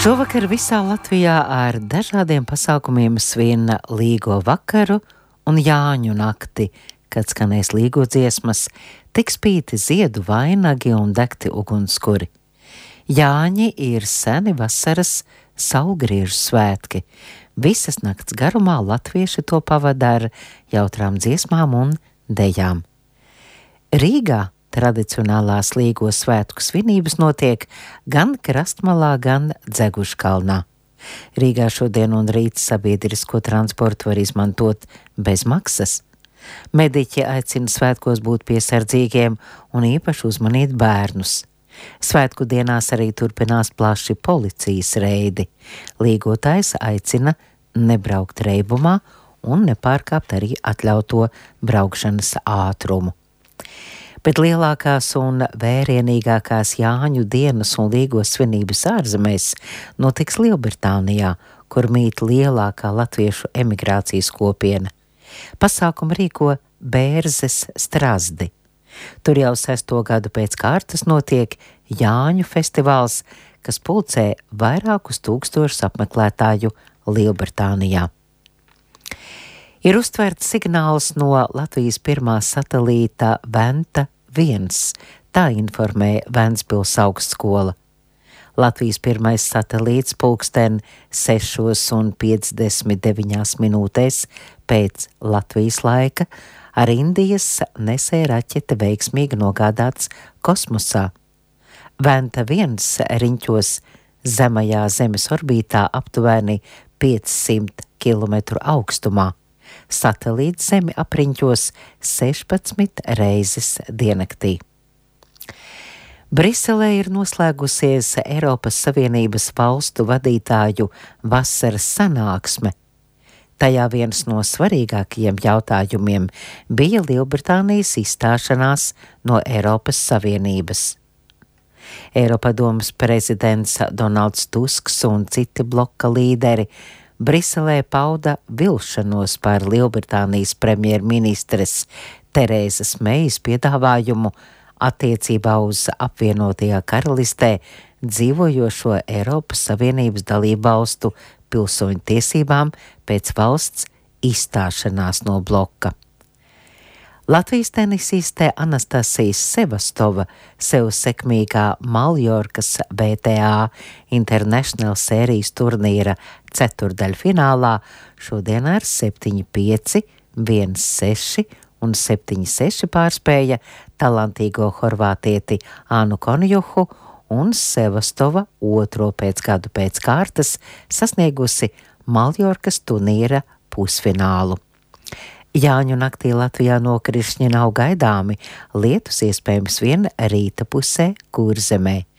Šovakar visā Latvijā ar dažādiem pasākumiem svin Līgo vakaru un Jāņu nakti, kad skanēs līgo dziesmas, tiks pīti ziedu vainagi un degti ugunskuri. Jāņi ir seni vasaras saulgriežu svētki. Visas nakts garumā latvieši to pavada ar jautrām dziesmām un dejām. Rīgā tradicionālās Līgo svētku svinības notiek gan Krastmalā, gan Dzeguškalnā. Rīgā šodien un rīt sabiedrisko transportu var izmantot bez maksas. Mediķi aicina svētkos būt piesardzīgiem un īpaši uzmanīt bērnus. Svētku dienās arī turpinās plaši policijas reidi. Līgotājs aicina nebraukt reibumā un nepārkāpt arī atļauto braukšanas ātrumu. Bet lielākās un vērienīgākās Jāņu dienas un Līgo svinības ārzemēs notiks Lielbritānijā, kur mīt lielākā latviešu emigrācijas kopiena. Pasākumu rīko Bērzes Strazdi. Tur jau 6. gadu pēc kārtas notiek Jāņu festivāls, kas pulcē vairākus tūkstošus apmeklētāju Lielbritānijā. Ir uztverts signāls no Latvijas pirmā satelīta Venta 1, tā informē Ventspils augstskola. Latvijas pirmais satelīts pulksten 6:59 pēc Latvijas laika ar Indijas nesē raķete veiksmīgi nogādāts kosmosā. Venta 1 riņķos zemajā Zemes orbītā aptuveni 500 km augstumā. Satelīts Zemi apriņķos 16 reizes diennaktī. Briselē ir noslēgusies Eiropas Savienības valstu vadītāju vasaras sanāksme. Tajā viens no svarīgākajiem jautājumiem bija Lielbritānijas izstāšanās no Eiropas Savienības. Eiropadomes prezidents Donalds Tusks un citi bloka līderi Briselē pauda vilšanos par Lielbritānijas premjerministres Terēzas Meijas piedāvājumu attiecībā uz apvienotajā karalistē dzīvojošo Eiropas Savienības dalībvalstu pilsoņu tiesībām pēc valsts izstāšanās no bloka. Latvijas tenisiste Anastasija Sevastova sev sekmīgā Maljorkas BTA International sērijas turnīra ceturdaļfinālā šodien ar 7-5, 1-6 un 7-6 pārspēja talantīgo horvātieti Anu Konjuhu un Sevastova otro gadu pēc kārtas sasniegusi Maljorkas turnīra pusfinālu. Jāņu naktī Latvijā nokrišņi nav gaidāmi, lietus iespējams vien rīta pusē Kurzemē.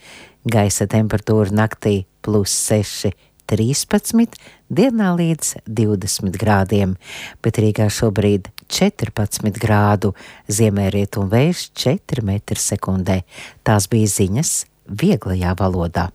Gaisa temperatūra naktī +6, 13, dienā līdz 20 grādiem, bet Rīgā šobrīd 14 grādu, ziemeļrietumu vējš 4 m/sekundē. Tās bija ziņas vieglajā valodā.